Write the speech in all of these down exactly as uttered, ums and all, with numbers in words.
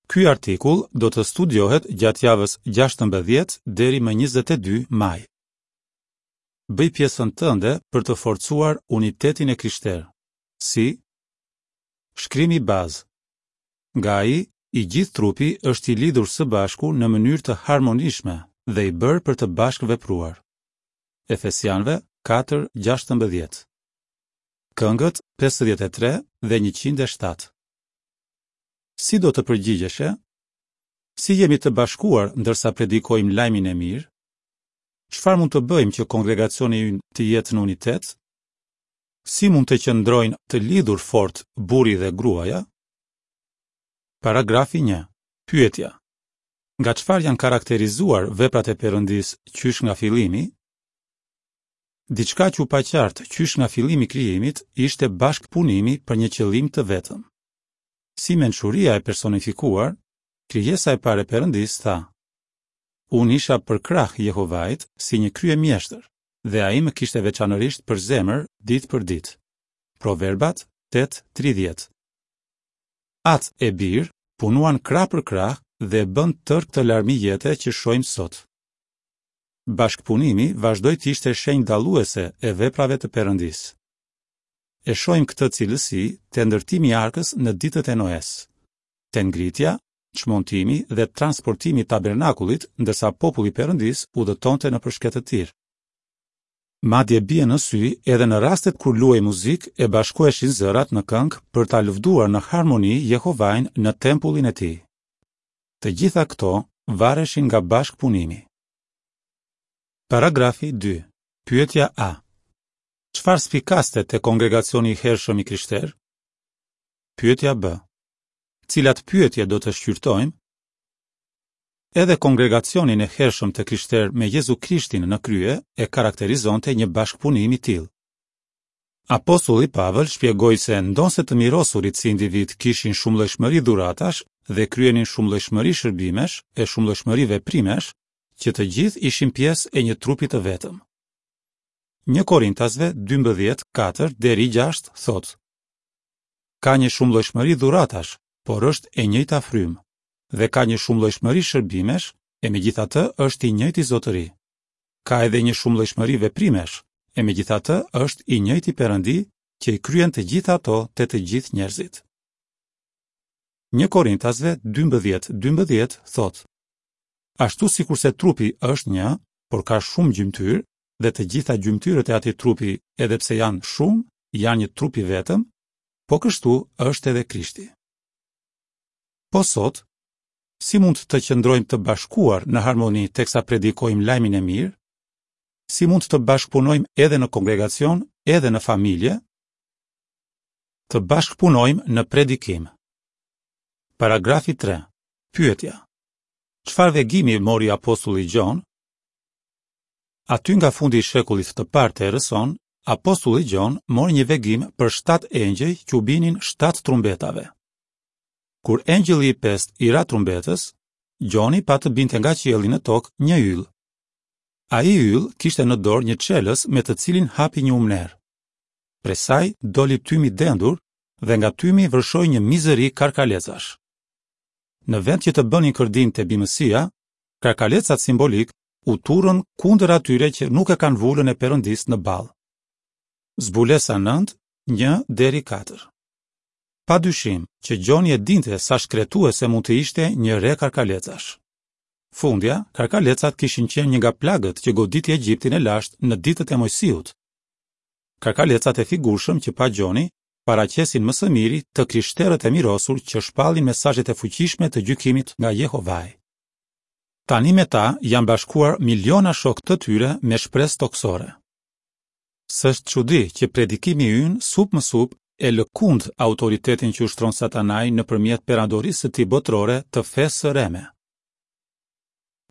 Ky artikull do të studiohet gjatë javës gjashtëmbëdhjetë deri më njëzet e dy maj. Bëj pjesën tënde për të forcuar unitetin e krishterë. Si? Shkrimi bazë. Nga ai, i gjithë trupi është i lidhur së bashku në mënyrë të harmonishme dhe i bërë për të bashkëvepruar. Efesianëve katër gjashtëmbëdhjetë. Këngët pesëdhjetë e tre dhe njëqind e shtatë. Si do të përgjigjeshe? Si jemi të bashkuar ndërsa predikojmë lajmin e mirë? Çfarë mund të bëjmë që kongregacioni ynë të jetë në unitet? Si mund të qëndrojnë të lidhur fort burri dhe gruaja? Paragrafi një. Pyetja. Nga çfarë janë karakterizuar veprat e Perëndisë qysh nga fillimi? Diçka që u pa qartë qysh nga fillimi i krijimit ishte bashkëpunimi për një qëllim të vetëm. Si mençuria e personifikuar, krijesa e parë e Perëndisë tha: Unë isha përkrah Jehovait si një kryemjeshtër dhe ai më kishte veçanërisht për zemër ditë për ditë. Proverbat tetë tridhjetë. Atë e bir punuan krah për krah dhe bën tërë këtë larmi jete që shohim sot. Bashkëpunimi vazhdoi të ishte shenjë dalluese e veprave të Perëndisë. E shohim këtë cilësi te ndërtimi i arkës në ditët e Noes, te ngritja, çmontimi dhe transportimi i tabernakullit, ndërsa populli i Perëndisë udhëtonte nëpër shkretëtirë. Madje bie në sy edhe në rastet kur luhej muzikë e bashkoheshin zërat në këngë për ta lëvduar në harmoni Jehovain në tempullin e tij. Të gjitha këto vareshin nga bashkëpunimi. Paragrafi dy. Pyetja A. Çfarë spikaste te kongregacioni i hershëm i krishterë? Pyetja B. Cilat pyetje do të shqyrtojmë? Edhe kongregacionin e hershëm të krishterë me Jezu Krishtin në krye e karakterizonte një bashkëpunim i tillë. Apostulli Pavel shpjegoi se ndonëse të mirosurit si individ kishin shumëllojshmëri dhuratash dhe kryenin shumëllojshmëri shërbimesh e shumëllojshmëri veprimesh, që të gjithë ishin pjesë e një trupi të vetëm. Një Korintasve dymbëdhjetë, katër deri gjashtë thotë: Ka një shumëllojshmëri dhuratash, por është e njëjta frymë, dhe ka një shumëllojshmëri shërbimesh, e megjithatë është i njëjti zotëri. Ka edhe një shumëllojshmëri veprimesh, e megjithatë është i njëjti Perëndi që i kryen të gjitha ato te të gjithë njerëzit. Një Korintasve dymbëdhjetë, dymbëdhjetë thotë: Ashtu sikurse trupi është një, por ka shumë gjymtyrë, dhe të gjitha gjymtyrët e atij trupi, edhe pse janë shumë, janë një trup i vetëm, po kështu është edhe Krishti. Po sot, si mund të qëndrojmë të bashkuar në harmoni teksa predikojmë lajmin e mirë? Si mund të bashkëpunojmë edhe në kongregacion, edhe në familje? Të bashkëpunojmë në predikim. Paragrafi tre. Pyetja. Çfarë vegimi mori apostulli Gjon? Aty nga fundi i shekullit të parë të erës sonë, apostulli Gjon mori një vegim për shtatë engjëj që u binin shtatë trumbetave. Kur engjëlli i pestë i ra trumbetës, Gjoni pa të binte nga qielli në tokë një yll. Ai yll kishte në dorë një çelës me të cilin hapi një umner. Prej saj doli tymi dendur dhe nga tymi vërshoi një mizëri karkalecash. Në vend që të bënin kërdinë te bimësia, karkalecat simbolik u turrën kundër atyre që nuk e kanë vulën e Perëndisë në ballë. Zbulesa nëntë, një deri katër. Pa dyshim që Gjoni e dinte sa shkretuese mund të ishte një re karkalecash. Fundja, karkalecat kishin qenë një nga plagët që goditi Egjiptin e lashtë në ditët e Mojsiut. Karkalecat e figurshëm që pa Gjoni paraqesin më së miri të krishterët e mirosur që shpallin mesazhet e fuqishme të gjykimit nga Jehovai. Tani me ta janë bashkuar miliona shokë të tyre me shpresë toksore. S'është çudi që predikimi ynë sup më sup e lëkund autoritetin që ushtron Satanai nëpërmjet perandorisë së tij botërore të fesë së reme.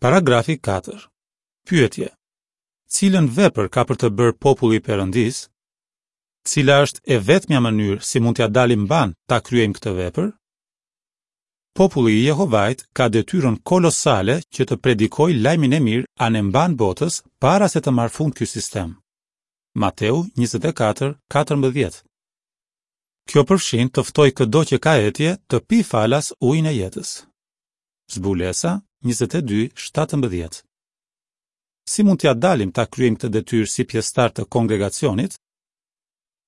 Paragrafi katër. Pyetje. Cilën vepër ka për të bërë populli i Perëndisë? Cila është e vetmja mënyrë si mund t'ia dalim mban ta kryejmë këtë vepër? Populli i Jehovait ka detyrën kolosale që të predikojë lajmin e mirë anemban botës para se të marrë fund ky sistem. Mateu njëzet e katër, katërmbëdhjetë. Kjo përfshin të ftoj këdo që ka etje të pi falas ujin e jetës. Zbulesa njëzet e dy, shtatëmbëdhjetë. Si mund t'ia dalim ta kryejmë këtë detyrë si pjesëtarë të kongregacionit?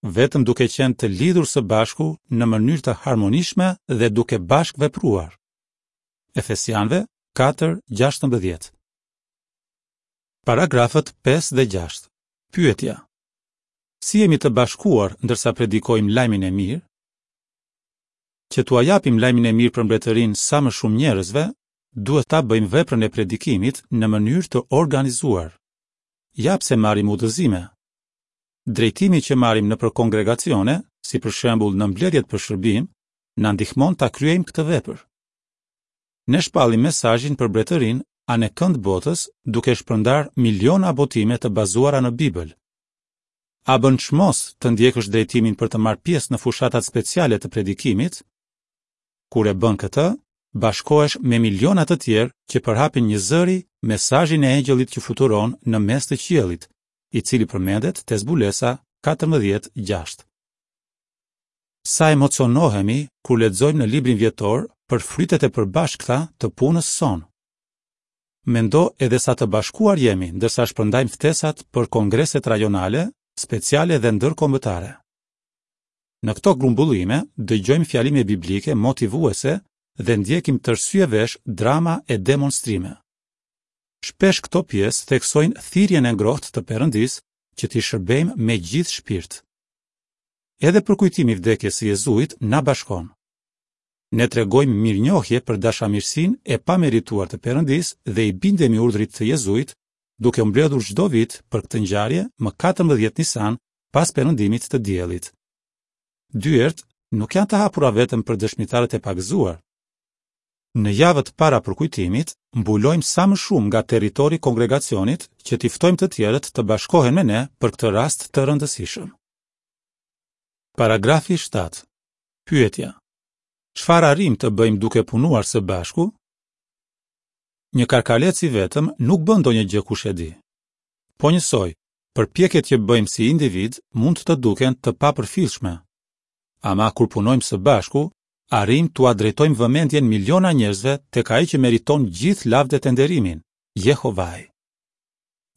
Vetëm duke qenë të lidhur së bashku në mënyrë të harmonishme dhe duke bashkëvepruar. Efesianëve katër, gjashtëmbëdhjetë. Paragrafët pesë dhe gjashtë. Pyetja: Si jemi të bashkuar ndërsa predikojmë lajmin e mirë? Që t'ua japim lajmin e mirë për mbretërinë sa më shumë njerëzve, duhet ta bëjmë veprën e predikimit në mënyrë të organizuar. Ja pse marrim udhëzime. Drejtimi që marrim nëpër kongregacione, si për shembull në mbledhjet për shërbim, na ndihmon ta kryejmë këtë vepër. Ne shpallim mesazhin për mbretërinë anekënd botës duke shpërndarë miliona botime të bazuara në Bibël. A bën çmos të ndjekësh drejtimin për të marrë pjesë në fushatat speciale të predikimit? Kur e bën këtë, bashkohesh me miliona të tjerë që përhapin një zëri mesazhin e engjëllit që fluturon në mes të qiellit, i cili përmendet te Zbulesa katërmbëdhjetë gjashtë. Sa emocionohemi kur lexojmë në librin vjetor për frytet e përbashkëta të punës sonë. Mendo edhe sa të bashkuar jemi ndërsa shpërndajmë ftesat për kongreset rajonale, speciale dhe ndërkombëtare. Në këto grumbullime dëgjojmë fjalime biblike motivuese dhe ndjekim tërësy e vesh drama e demonstrime. Shpesh këto pjesë theksojnë thirrjen e ngrohtë të Perëndisë që t'i shërbejmë me gjithë shpirt. Edhe përkujtimi i vdekjes së Jezuit na bashkon. Ne tregojmë mirënjohje për dashamirësinë e pamerituar të Perëndisë dhe i bindemi urdhrit të Jezuit, duke u mbledhur çdo vit për këtë ngjarje më katërmbëdhjetë Nisan pas perëndimit të diellit. Dyert nuk janë të hapura vetëm për dëshmitarët e pagëzuar. Në javët para përkujtimit, mbulojmë sa më shumë nga territori i kongregacionit që t'i ftojmë të tjerët të bashkohen me ne për këtë rast të rëndësishëm. Paragrafi shtatë. Pyetja: Çfarë arrim të bëjmë duke punuar së bashku? Një karkalec i vetëm nuk bën ndonjë gjë kush e di. Po njësoj, përpjekjet që bëjmë si individ mund të duken të papërfillshme. Ama kur punojmë së bashku, arrim t'ua drejtojmë vëmendjen miliona njerëzve tek ai që meriton gjithë lavdet e nderimin, Jehovai.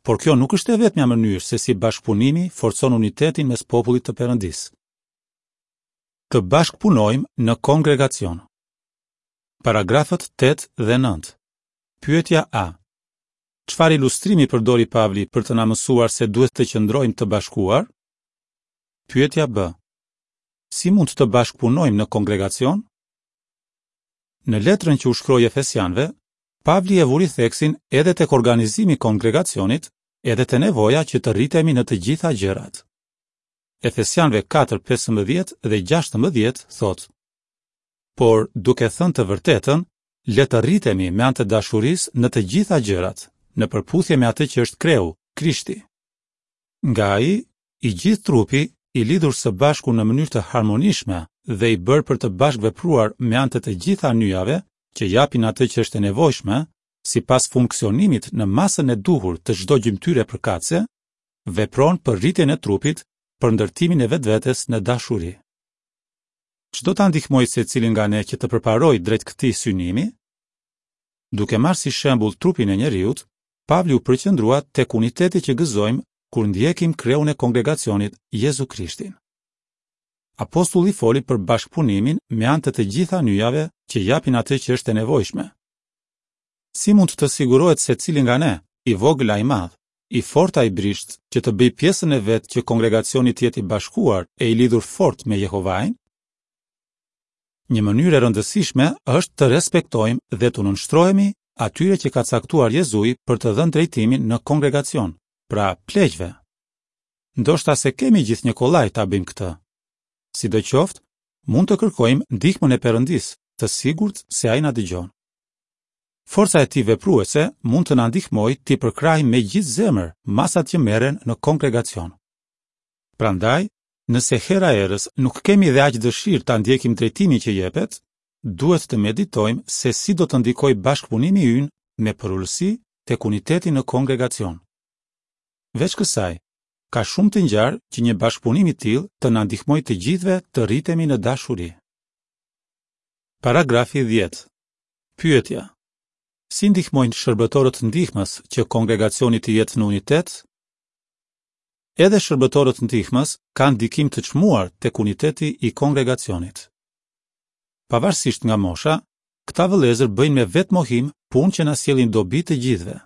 Por kjo nuk është e vetmja mënyrë se si bashkëpunimi forcon unitetin mes popullit të Perëndisë. Të bashkëpunojmë në kongregacion. Paragrafët tetë dhe nëntë. Pyetja A. Çfarë ilustrimi përdori Pavli për të na mësuar se duhet të qëndrojmë të bashkuar? Pyetja B. Si mund të bashkëpunojmë në kongregacion? Në letrën që u shkroi Efesianëve, Pavli e vuri theksin edhe tek organizimi i kongregacionit, edhe te nevoja që të rritemi në të gjitha gjërat. Efesianëve katër, pesëmbëdhjetë dhe gjashtëmbëdhjetë thotë: Por, duke thënë të vërtetën, le të rritemi me anë të dashurisë në të gjitha gjërat, në përputhje me atë që është kreu, Krishti. Nga ai, i gjithë trupi, i lidhur së bashku në mënyrë të harmonishme dhe i bërë për të bashkëvepruar me anë të të gjitha nyjave që japin atë që është e nevojshme, sipas funksionimit në masën e duhur të çdo gjymtyre përkatëse, vepron për rritjen e trupit, për ndërtimin e vetvetes në dashuri. Ç'do ta ndihmojë secilin nga ne që të përparojë drejt këtij synimi? Duke marrë si shembull trupin e njeriut, Pavli u përqendrua tek uniteti që gëzojmë kur ndjekim kreun e kongregacionit, Jezu Krishtin. Apostulli foli për bashkëpunimin me anë të të gjitha nyjave që japin atë që është e nevojshme. Si mund të sigurohet secili nga ne, i vogël a i madh, i fortë a i brisht, që të bëjë pjesën e vet që kongregacioni të jetë i bashkuar e i lidhur fort me Jehovain? Një mënyrë e rëndësishme është të respektojmë dhe të nënshtrohemi atyre që ka caktuar Jezui për të dhënë drejtimin në kongregacion, pra pleqve. Ndoshta se kemi gjithnjë kollaj ta bëjmë këtë. Sidoqoftë, mund të kërkojmë ndihmën e Perëndisë, të sigurt se ai na dëgjon. Forca e tij vepruese mund të na ndihmojë t'i përkrahim me gjithë zemër masat që merren në kongregacion. Prandaj, nëse hera herës nuk kemi dhe aq dëshirë ta ndjekim drejtimin që jepet, duhet të meditojmë se si do të ndikojë bashkëpunimi ynë me përulësi tek uniteti në kongregacion. Veç kësaj, ka shumë të ngjarë që një bashkëpunim i tillë të na ndihmojë të gjithëve të rritemi në dashuri. Paragrafi dhjetë. Pyetja: Si ndihmojnë shërbëtorët ndihmës që kongregacioni të jetë në unitet? Edhe shërbëtorët ndihmës kanë ndikim të çmuar tek uniteti i kongregacionit. Pavarësisht nga mosha, këta vëllezër bëjnë me vetëmohim punë që na sjellin dobi të gjithëve.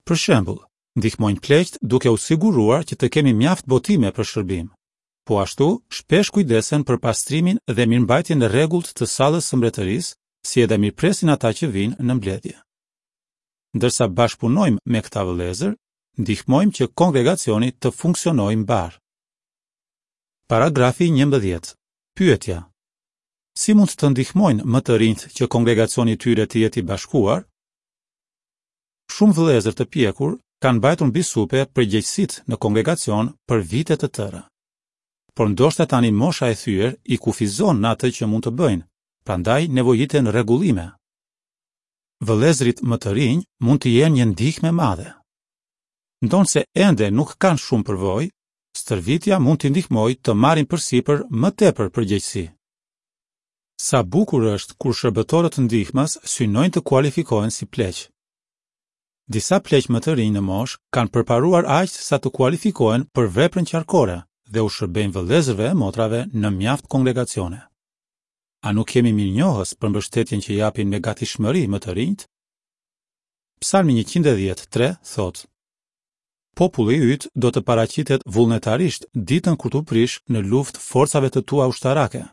Për shembull, ndihmojnë pleqtë duke u siguruar që të kemi mjaft botime për shërbim. Po ashtu, shpesh kujdesen për pastrimin dhe mirëmbajtjen e rregullt të sallës së mbretërisë, si edhe mirëpresin ata që vijnë në mbledhje. Ndërsa bashkëpunojmë me këta vëllezër, ndihmojmë që kongregacioni të funksionojë mbarë. Paragrafi njëmbëdhjetë. Pyetja: Si mund të ndihmojnë më të rinjtë që kongregacioni i tyre të jetë i bashkuar? Shumë vëllezër të pjekur kanë mbajtur mbi supe përgjegjësitë në kongregacion për vite të tëra. Por ndoshta tani mosha e thyer i kufizon në atë që mund të bëjnë, prandaj nevojiten rregullime. Vëllezërit më të rinj mund të jenë një ndihmë e madhe. Ndonëse ende nuk kanë shumë përvojë, stërvitja mund t'i ndihmojë të marrin përsipër më tepër përgjegjësi. Sa bukur është kur shërbëtorët ndihmës synojnë të kualifikohen si pleq. Disa pleq më të rinj në moshë kanë përparuar aq sa të kualifikohen për veprën qarkore dhe u shërbejnë vëllezërve e motrave në mjaft kongregacione. A nuk jemi mirënjohës për mbështetjen që japin me gatishmëri më të rinjt? Psalmi njëqind e dhjetë tre thotë: Populli yt do të paraqitet vullnetarisht ditën kur t'u prish në luftë forcave të tua ushtarake.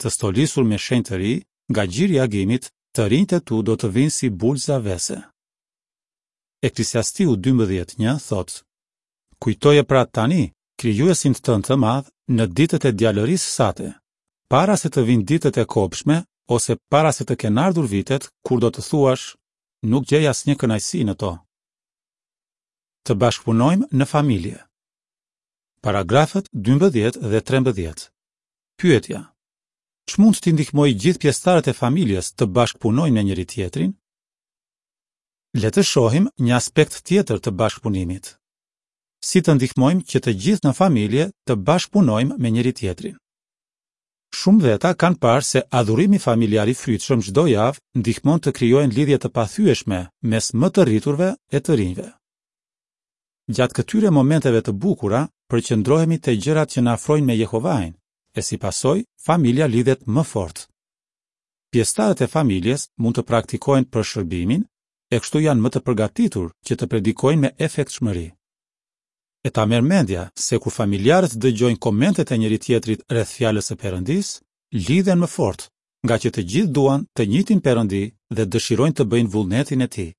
Të stolisur me shenjtëri, nga gjiri i agimit, të rinjtë e tu do të vinë si bulza vese. Eklesiastiu dymbëdhjetë një thotë: Kujtoje pra tani krijuesin tënd të madh në ditët e djalërisë sate, para se të vinë ditët e kobshme ose para se të kenë ardhur vitet kur do të thuash, nuk gjej asnjë kënaqësi në to. Të bashkëpunojmë në familje. Paragrafët dymbëdhjetë dhe trembëdhjetë. Pyetja: Ç'mund t'i ndihmojë gjithë pjesëtarët e familjes të bashkëpunojnë me njëri tjetrin? Le të shohim një aspekt tjetër të bashkëpunimit. Si të ndihmojmë që të gjithë në familje të bashkëpunojmë me njëri tjetrin? Shumë veta kanë parë se adhurimi familjar i frytshëm çdo javë ndihmon të krijojnë lidhje të pathyeshme mes më të rriturve e të rinjve. Gjatë këtyre momenteve të bukura, përqendrohemi te gjërat që na afrojnë me Jehovain, e si pasojë, familja lidhet më fort. Pjesëtarët e familjes mund të praktikojnë për shërbimin, e kështu janë më të përgatitur që të predikojnë me efektshmëri. E ta merr mendja se kur familjarët dëgjojnë komentet e njëri tjetrit rreth fjalës së Perëndisë, lidhen më fort, nga që të gjithë duan të njëjtin Perëndi dhe dëshirojnë të bëjnë vullnetin e tij.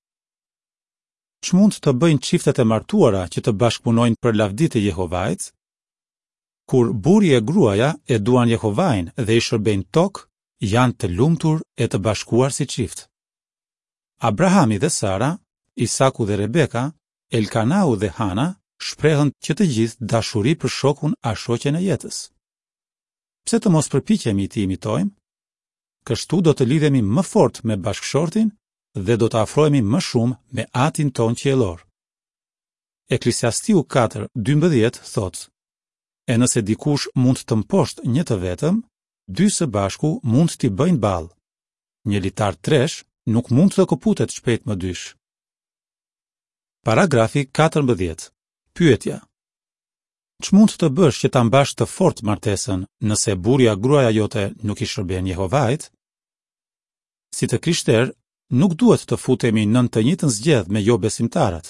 Ç'mund të bëjnë çiftet e martuara që të bashkëpunojnë për lavdi të Jehovait? Kur burri e gruaja e duan Jehovain dhe i shërbejnë tok, janë të lumtur e të bashkuar si çift. Abrahami dhe Sara, Isaku dhe Rebeka, Elkanau dhe Hana shprehën që të gjithë dashuri për shokun a shoqen e jetës. Pse të mos përpiqemi t'i imitojmë? Kështu do të lidhemi më fort me bashkëshortin dhe do të afrohemi më shumë me Atin ton qiellor. Eklesiastiu katër dymbëdhjetë thotë: E nëse dikush mund të mposht një të vetëm, dy së bashku mund t'i bëjnë ballë. Një litar tresh nuk mund të këputet shpejt më dysh. Paragrafi katërmbëdhjetë. Pyetja: Ç'mund të bësh që ta mbash të fortë martesën nëse burri a gruaja jote nuk i shërben Jehovait? Si të krishterë, nuk duhet të futemi nën të njëjtën zgjedh me jo besimtarët.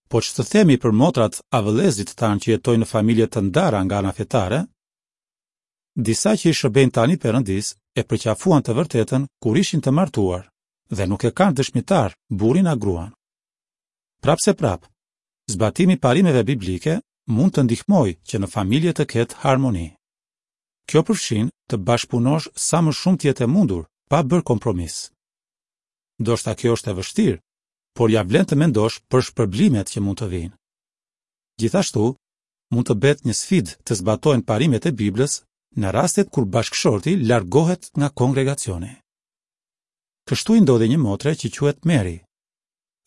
Po ç'të themi për motrat a vëllezërit tanë që jetojnë në familje të ndara nga ana fetare? Disa që i shërbejnë tani Perëndis e përqafuan të vërtetën kur ishin të martuar dhe nuk e kanë dëshmitar burrin a gruan. Prapse prap, zbatimi i parimeve biblike mund të ndihmojë që në familje të ketë harmoni. Kjo përfshin të bashkëpunosh sa më shumë të jetë e mundur, pa bërë kompromis. Ndoshta kjo është e vështirë, por ja vlen të mendosh për shpërblimet që mund të vijnë. Gjithashtu, mund të bëhet një sfidë të zbatohen parimet e Biblës në rastet kur bashkëshorti largohet nga kongregacioni. Kështu i ndodhi një motre që quhet Mary.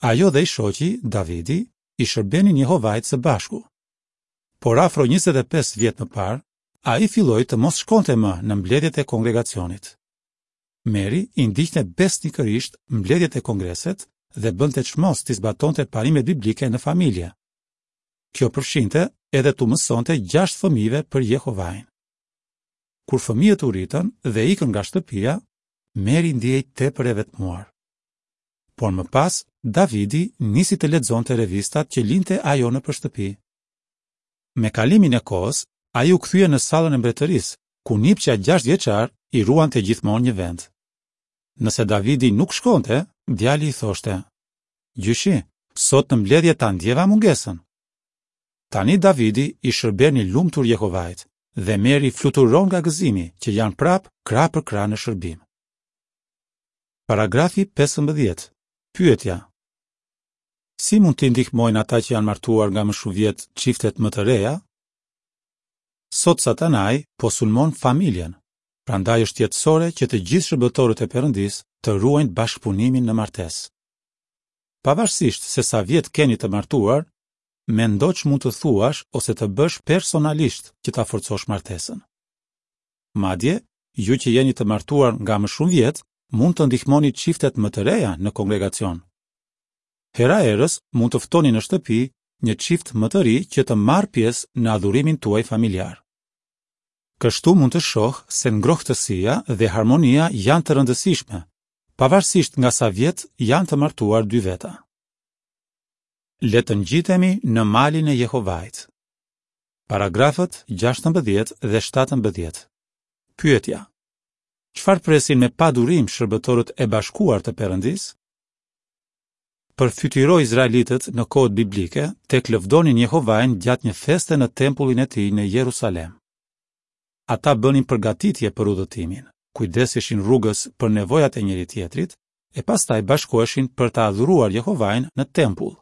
Ajo dhe i shoqi, Davidi, i shërbenin Jehovait së bashku. Por afro njëzet e pesë vjet më parë, ai filloi të mos shkonte më në mbledhjet e kongregacionit. Meri i ndiqte besnikërisht mbledhjet e kongreset dhe bënte çmos t'i zbatonte parimet biblike në familje. Kjo përfshinte edhe t'u mësonte gjashtë fëmijëve për Jehovain. Kur fëmijët u rritën dhe ikën nga shtëpia, Meri ndihej tepër e vetmuar. Por më pas, Davidi nisi të lexonte revistat që linte ajo nëpër shtëpi. Me kalimin e kohës, ai u kthye në sallën e mbretërisë, ku nipçja gjashtë vjeçar i ruante gjithmonë një vend. Nëse Davidi nuk shkonte, djali i thoshte: "Gjyshi, sot në mbledhje ta ndjeva mungesën." Tani Davidi i shërben i lumtur Jehovait dhe Meri fluturon nga gëzimi që janë prapë krah për krah në shërbim. Paragrafi pesëmbëdhjetë. Pyetja: Si mund t'i ndihmojnë ata që janë martuar nga më shumë vjet çiftet më të reja? Sot Satanai po sulmon familjen, prandaj është jetësore që të gjithë shërbëtorët e Perëndisë të ruajnë bashkëpunimin në martesë. Pavarësisht se sa vjet keni të martuar, mendo ç'mund të thuash ose të bësh personalisht që ta forcosh martesën. Madje, ju që jeni të martuar nga më shumë vjet, mund të ndihmoni çiftet më të reja në kongregacion. Hera herës mund të ftoni në shtëpi një çift më të ri që të marrë pjesë në adhurimin tuaj familjar. Kështu mund të shoh se ngrohtësia dhe harmonia janë të rëndësishme, pavarësisht nga sa vjet janë të martuar dy veta. Le të ngjitemi në malin e Jehovait. Paragrafët gjashtëmbëdhjetë dhe shtatëmbëdhjetë. Pyetja: Çfarë presin me padurim shërbëtorët e bashkuar të Perëndisë? Përfytyro izraelitët në kohët biblike tek lëvdonin Jehovain gjatë një feste në tempullin e tij në Jerusalem. Ata bënin përgatitje për udhëtimin, kujdeseshin rrugës për nevojat e njëri tjetrit e pastaj bashkoheshin për ta adhuruar Jehovain në tempull.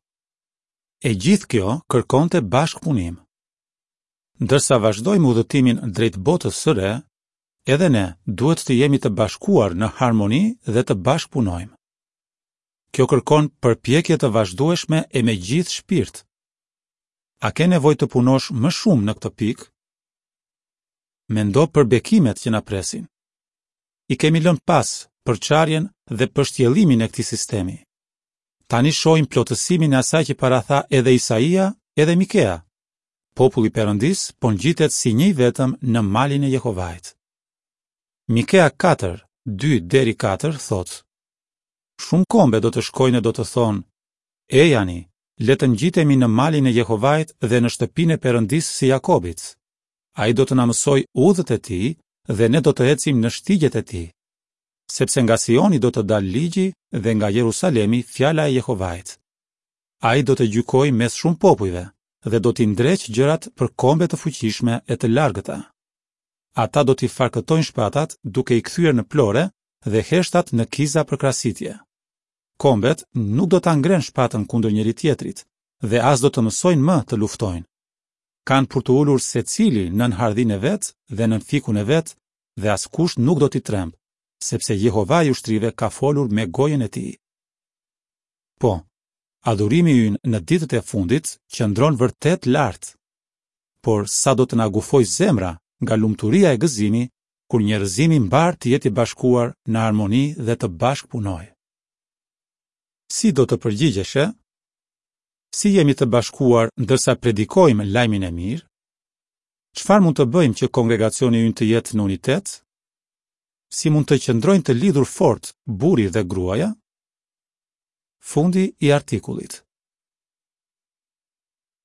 E gjithë kjo kërkonte bashkëpunim. Ndërsa vazhdojmë udhëtimin drejt botës së re, edhe ne duhet të jemi të bashkuar në harmoni dhe të bashkëpunojmë. Kjo kërkon përpjekje të vazhdueshme e me gjithë shpirt. A ke nevojë të punosh më shumë në këtë pikë? Mendo për bekimet që na presin. I kemi lënë pas përçarjen dhe pështjellimin e këtij sistemi. Tani shohim plotësimin e asaj që paratha edhe Isaia, edhe Mikea. Populli i Perëndisë po ngjitet si një i vetëm në malin e Jehovait. Mikea katër, dy deri katër thotë: Shumë kombe do të shkojnë e do të thonë: Ejani, le të ngjitemi në malin e Jehovait dhe në shtëpinë e Perëndisë së Jakobit. Ai do të na mësojë udhët e tij dhe ne do të ecim në shtigjet e tij. Sepse nga Sioni do të dalë ligji dhe nga Jerusalemi fjala e Jehovait. Ai do të gjykojë mes shumë popujve dhe do t'i ndreq gjërat për kombe të fuqishme e të largëta. Ata do t'i farkëtojnë shpatat duke i kthyer në plore dhe heshtat në kiza për krasitje. Kombet nuk do ta ngrenë shpatën kundër njëri tjetrit dhe as do të mësojnë më të luftojnë. Kanë për të ulur secili nën hardhin e vet dhe nën fikun e vet dhe askush nuk do t'i tremb, sepse Jehova i ushtrive ka folur me gojën e tij. Po, adhurimi ynë në ditët e fundit qëndron vërtet lart. Por sa do të na gufojë zemra nga lumturia e gëzimi kur njerëzimi mbar të jetë i bashkuar në harmoni dhe të bashkëpunojë. Si do të përgjigjeshe? Si jemi të bashkuar ndërsa predikojmë lajmin e mirë? Çfarë mund të bëjmë që kongregacioni ynë të jetë në unitet? Si mund të qëndrojnë të lidhur fort burri dhe gruaja? Fundi i artikullit.